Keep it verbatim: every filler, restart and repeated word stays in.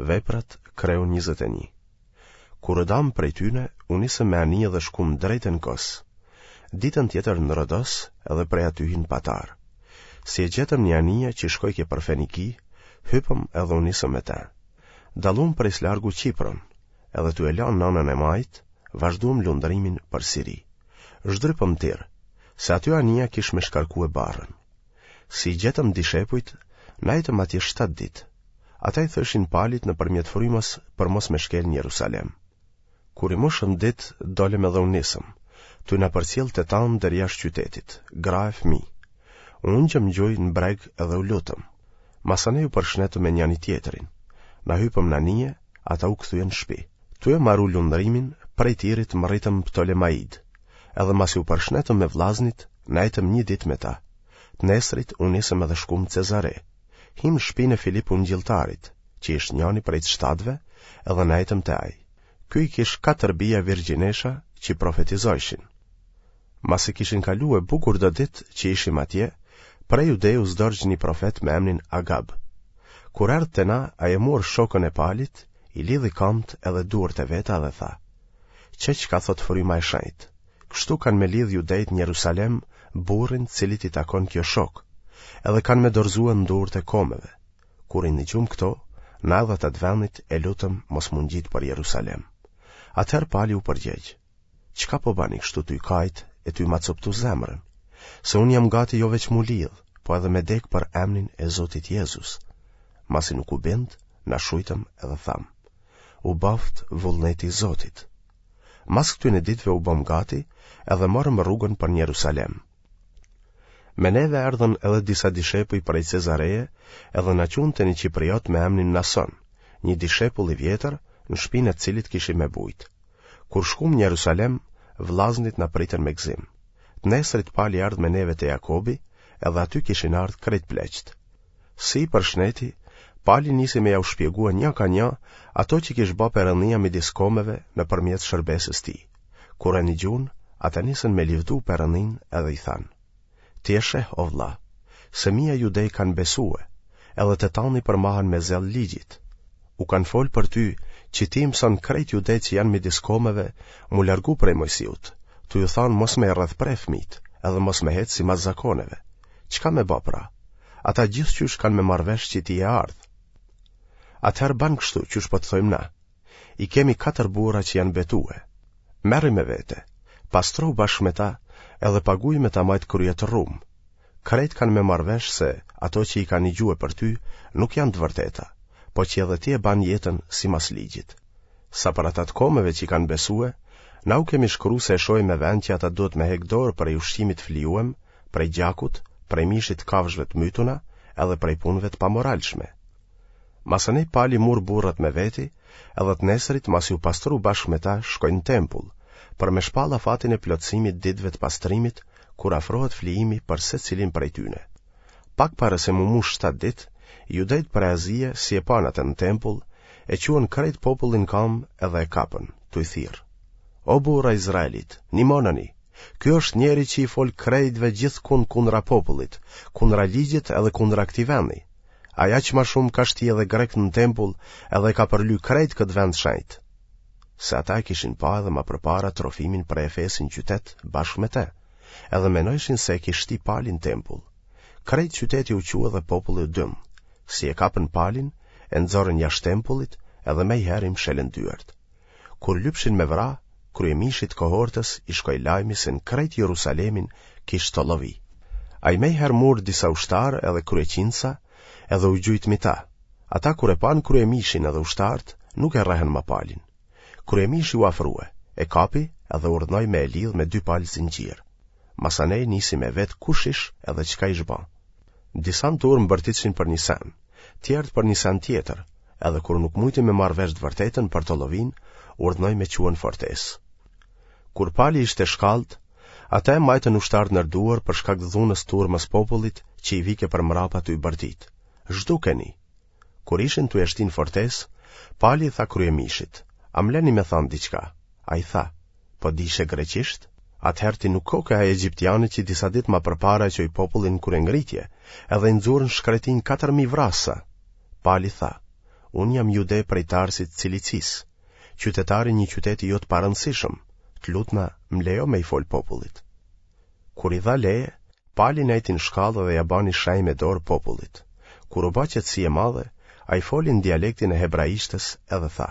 Veprat, kreu njëzet e një. Kur u damë prej tyne, u nisëm me anije dhe shkum drejt e në Kos. Ditën tjetër në Rodos edhe prej atyhi në Patarë. Si e gjetëm një anije që shkojke për Feniki, hypëm edhe u nisëm me te. Dallum prej s'largu Qipron, edhe tu e lanë n'anën e majtë, vazhduam lundrimin për Siri. Zhdrypëm Tir, se aty anija kish me shkarkue barrën. Si i gjetëm dishepujt, nejtëm atje shtatë ditë. Ata i thoshin Palit nëpërmjet frymës për mos me shkel në Jerusalem. Kur i mushëm ditë, dolëm edhe u nisëm, tuj na përcjellë të tanë deri jashtë qytetit, gra e fëmijë. U ungjëm n'gjunjë në breg edhe u lutëm. Masanej u përshnetëm me njani-tjetrin. Na hypëm në anije, ata u kthyen në shpi. Tuj e maru lundrimin, prej Tirit mrritëm Ptolemaidë. Edhe masi u përshnetëm me vllaznit, nejtëm një ditë me ta. Të nesrit u nisëm edhe shkum në Cezare. Him në shpinë e Filip Ungjilltarit, që ish njani prej të shtatëve, edhe nejtëm te ai. Ky i kish katër bija virgjinesha që profetizojshin. Masi kishin kalue bukur do ditë që ishim atje, prej Judeus dorgj një profet me emnin Agab. Kur erdh te na, ai e mur shokën e Palit, i lidhi kamët edhe duart e veta dhe tha: Qe çka thotë fryma e shenjtë, kështu kanë me lidhë judejtë në Jerusalem burrin cilit i takon kjo shokë, edhe kanë me dorëzue në duart e komeve. Kur i nigjum këto, na edhe ata të vendit e lutëm mos m'u ngjit për Jerusalem. Atëherë Pali u përgjegj: Çka po bani kështu tuj kajt e tuj ma coptu zemrën? Se unë jam gati jo veç m'u lidh, po edhe me dek për emnin e Zotit Jezus. Masi nuk u bind, na shujtëm edhe thamë: U baftë vullneti i Zotit. Mas këtyne ditëve u bëm gati edhe morëm rrugën për në Jerusalem. Me neve erdhën edhe disa dishepuj prej Cezareje edhe na çunë te një qipriot me emnin Nason, një dishepull i vjetër, në shpinë e të cilit kishim me bujt. Kur shkum në Jerusalem, vllaznit na pritën me gëzim. Të nesrit Pali erdh me neve te Jakobi, edhe aty kishin ardhë krejt pleqtë. Si i përshneti, Pali nisi me jau shpjegue nja ka nja ato që kish ba Perëndia midis komeve nëpërmjet shërbesës tij. Kur e nigjun, ata nisën me livdu Perëndinë edhe i thanë: Ti e sheh, o vlla, se mija judej kanë besue, edhe të tanë i përmahen me zell ligjit. U kanë folë për ty që ti i mëson krejt judejtë që janë midis komeve m'u largu prej Mojsiut, tu ju thanë mos me i rrethpre fëmijët, edhe mos me hecë simas zakoneve. Çka me ba pra? Ata gjithqysh kanë me marrë vesh që ti je ardhë. Atëherë ban kështu qysh po të thojmë na. I kemi katër burra që janë betue. Merri me vete, pastrohu bashkë me ta edhe paguj me ta majtë kryet rrumë. Krejt kanë me marrë vesh se ato që i kanë nigjue për ty nuk janë të vërteta, po që edhe ti e ban jetën simas ligjit. Sa për ata të komeve që i kanë besue, na u kemi shkru se e shohim me vend që ata duhet me hek dorë prej ushqimit të flijuem, prej gjakut, prej mishit të kafshëve të mytuna, edhe prej punëve të pamoralshme. Masanej Pali mur burrat me veti, edhe të nesrit masi u pastru bashkë me ta shkoi në tempull, për me shpall afatin e plotësimit ditëve të pastrimit, kur afrohet flijimi për secilin prej tyne. Pak para se m'u mush shtatë ditë, judejtë prej Azie, si e panë atë në tempull, e çuan krejt popullin kamë edhe e kapën, tuj thirrë: O burra Izraelit, nimonani, ky është njeri që i fol krejtve gjithkund kundra popullit, kundra ligjit edhe kundra këtij vendi. Ai aq ma shumë ka shti edhe grekët në tempull edhe e ka përly krejt këtë vend shenjt. Se ata e kishin pa edhe ma përpara Trofimin prej Efesi në qytet bashkë me te, edhe menojshin se e kish shti Pali në tempull. Krejt qyteti u çu edhe populli u dynd. Si e kapën Palin, e nxorën jashtë tempullit edhe mejherë i mshelën dyert. Kur lypshin me vra, kryemishit kohortës i shkoi lajmi se në krejt Jerusalemin kish tollovi. Ai mejherë mur disa ushtarë edhe kryeqindsa edhe u gjujt mi ta. Ata kur e panë kryemishin edhe ushtarët, nuk e rrehën ma Palin. Kryemishi u afrue, e kapi edhe urdhnoi me e lidh me dy palë zinxhir. Masanej nisi me vet kush ish edhe çka ish ba. Disa në turmë bërtitshin për një sen, tjerët për një sen tjetër, edhe kur nuk mujti me marrë vesh të vërtetën për tollovinë, urdhnoi me çue në fortesë. Kur Pali ishte shkallët, ata e majtën ushtarët nër duar për shkak të dhunës turmës popullit që i vike për mrapa tuj bërtit: Zhdukeni! Kur ishin tuj e shti në fortesë, Pali i tha kryemishit: A më leni me thanë diçka? Ai tha: Po dishe greqisht? Atëherë ti nuk koke ai egjiptiani që disa ditë ma përpara e çoi popullin në kryengritje, edhe i nxurën shkretinë katër mijë vrasa. Pali tha: Unë jam jude prej Tarsit të Cilicisë, qytetar i një qyteti jo të parëndësishëm, të lutna më lejo me i fol popullit. Kur i dha leje, Pali nejti në shkallë dhe ia bani shenjë me dorë popullit. Kur u ba qetësi e madhe, ai foli në dialektin e hebraishtes edhe tha.